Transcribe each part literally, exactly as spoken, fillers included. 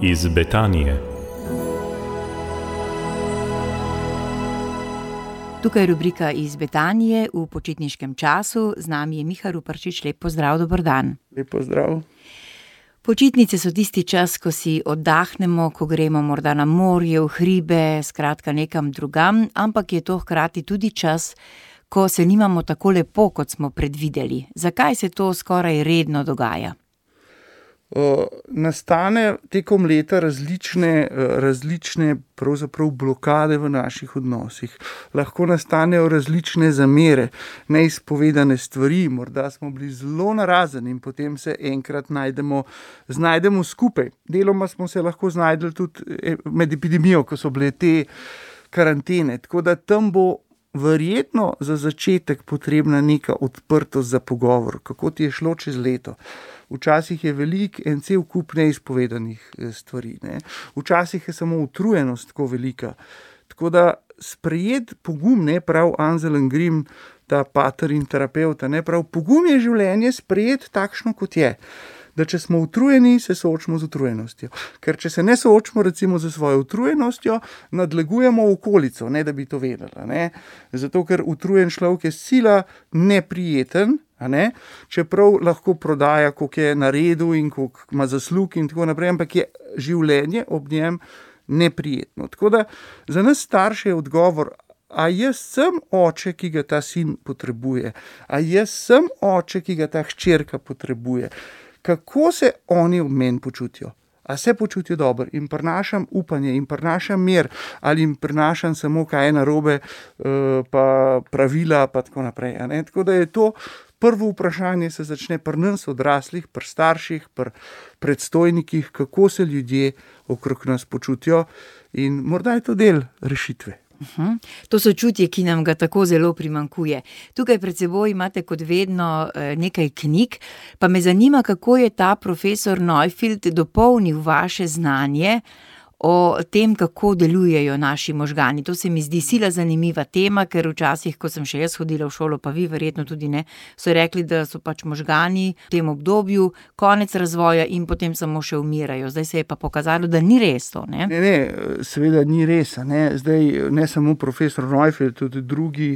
iz Betanije. Tukaj je rubrika iz Betanije v počitniškem času. Z nami je Miha Ruparčič. Lep pozdrav, dober dan. Lep pozdrav. Počitnice so tisti čas, ko si oddahnemo, ko gremo morda na morje, v hribe, skratka nekam drugam, ampak je to hkrati tudi čas, ko se nimamo tako lepo, kot smo predvideli. Zakaj se to skoraj redno dogaja? Uh, nastane tekom leta različne, različne pravzaprav blokade v naših odnosih. Lahko nastanejo različne zamere, neizpovedane stvari, morda smo bili zelo narazen in potem se enkrat najdemo, znajdemo skupaj. Deloma smo se lahko znajdeli tudi med epidemijo, ko so bile te karantene, tako da tam bo verjetno za začetek potrebna neka odprtost za pogovor, kako ti je šlo čez leto. Včasih je velik en cel kup neizpovedanih stvari, ne. Včasih je samo utrujenost tako velika. Tako da sprejet pogum, ne prav Anselm Green, ta pater in terapevta, ne prav pogum je življenje sprejet takšno, kot je. Da če smo utrujeni, se soočimo z utrujenostjo. Ker če se ne soočimo recimo z svojo utrujenostjo, nadlegujemo okolico, ne da bi to vedela, ne. Zato, ker utrujen človek je sila neprijeten, a ne, čeprav lahko prodaja, koliko je naredil in koliko ima zaslug in tako naprej, ampak je življenje ob njem neprijetno. Tako da za nas starše je odgovor, a jaz sem oče, ki ga ta sin potrebuje, a jaz sem oče, ki ga ta hčerka potrebuje. Kako se oni ob meni počutijo? A se počutijo dobro in prinašam upanje in prinašam mir ali jim prinašam samo kaj je narobe, pa pravila pa tako naprej. A ne? Tako da je to prvo vprašanje, se začne pri nas odraslih, pri starših, pri predstojnikih, kako se ljudje okrog nas počutijo in morda je to del rešitve. Uhum. To sočutje, ki nam ga tako zelo primanjkuje. Tukaj pred seboj imate kot vedno nekaj knjig, pa me zanima, kako je ta profesor Neufeld dopolnil vaše znanje o tem, kako delujejo naši možgani. To se mi zdi sila zanimiva tema, ker včasih, ko sem še jaz hodila v šolo, pa vi verjetno tudi ne, so rekli, da so pač možgani v tem obdobju konec razvoja in potem samo še umirajo. Zdaj se je pa pokazalo, da ni res to, ne? Ne, ne, seveda ni res, ne. Zdaj ne samo profesor Neufeld, tudi drugi,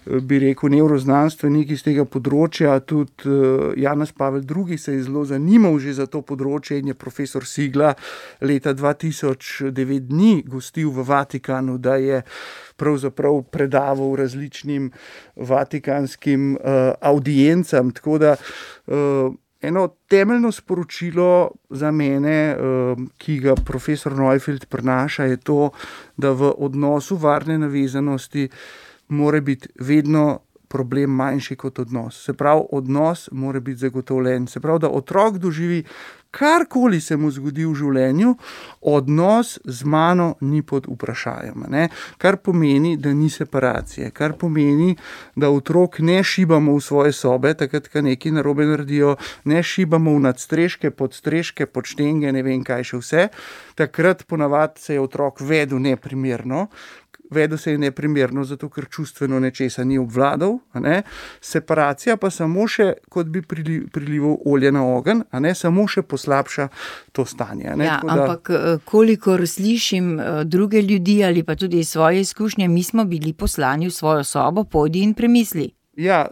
bi rekel, nevroznanstveniki iz tega področja, tudi Janez Pavel drugi se je zelo zanimal že za to področje in je profesor Sigla leta dva tisoč devet dni gostil v Vatikanu, da je pravzaprav predaval različnim vatikanskim uh, audiencam. Tako da uh, eno temeljno sporočilo za mene, uh, ki ga profesor Neufeld prinaša, je to, da v odnosu varne navezanosti mora biti vedno problem manjši kot odnos. Se pravi, odnos mora biti zagotovljen. Se pravi, da otrok doživi karkoli se mu zgodi v življenju, odnos z mano ni pod vprašajem, ne? Kar pomeni, da ni separacije, kar pomeni, da otrok ne šibamo v svoje sobe, takrat, ko nekaj narobe naredijo, ne šibamo v nadstreške, podstreške, podštenge, ne vem kaj še vse. Takrat ponavadi se je otrok vedel neprimerno, vedel se je neprimerno, zato ker čustveno nečesa ni obvladal, a ne. Separacija pa samo še, kot bi prilival olje na ogenj, a ne, samo še poslabša to stanje. Ne? Ja, da... ampak kolikor slišim druge ljudi ali pa tudi svoje izkušnje, mi smo bili poslani v svojo sobo, pojdi in premisli. Ja,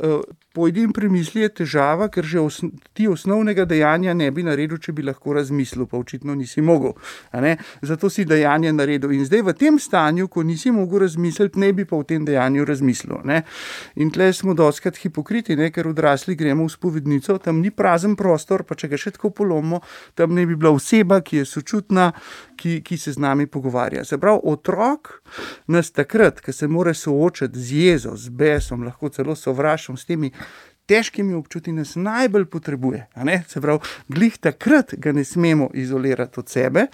pojdi in premisli je težava, ker že osn- ti osnovnega dejanja ne bi naredil, če bi lahko razmislil, pa očitno nisi mogel. A ne? Zato si dejanje naredil. In zdaj v tem stanju, ko nisi mogel razmisliti, ne bi pa v tem dejanju razmislil. Ne? In tle smo dostikrat hipokriti, ne? Ker odrasli gremo v spovednico, tam ni prazen prostor, pa če ga še tako polomimo, tam ne bi bila oseba, ki je sočutna, ki, ki se z nami pogovarja. Se pravi, otrok nas takrat, ko se mora soočati z jezo, z besom, lahko celo sovraštvom, s temi težkimi občutki nas najbolj potrebuje. A ne? Se pravi, glih takrat ga ne smemo izolirati od sebe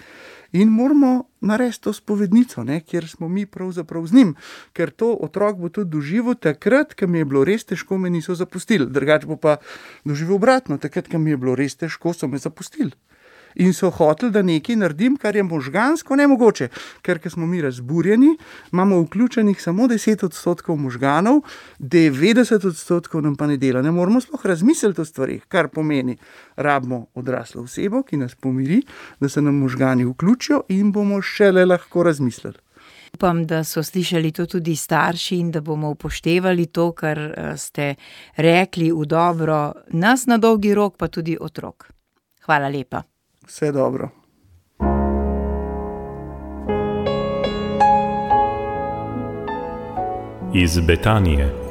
in moramo narediti to spovednico, ne? Kjer smo mi pravzaprav z njim. Ker to otrok bo tudi doživel takrat, ko mi je bilo res težko, me niso zapustili. Drugače bo pa doživel obratno, takrat, ko mi je bilo res težko, so me zapustili. in so hoteli, da nekaj naredim, kar je možgansko nemogoče. Ker ko smo mi razburjeni, imamo vključenih samo deset odstotkov možganov, devetdeset odstotkov nam pa ne dela. Ne moramo sploh razmisliti o stvarih, kar pomeni, rabimo odraslo osebo, ki nas pomiri, da se nam možgani vključijo in bomo šele lahko razmislili. Upam, da so slišali to tudi starši in da bomo upoštevali to, kar ste rekli v dobro nas na dolgi rok, pa tudi otrok. Hvala lepa. Vse dobro. Iz Betanije.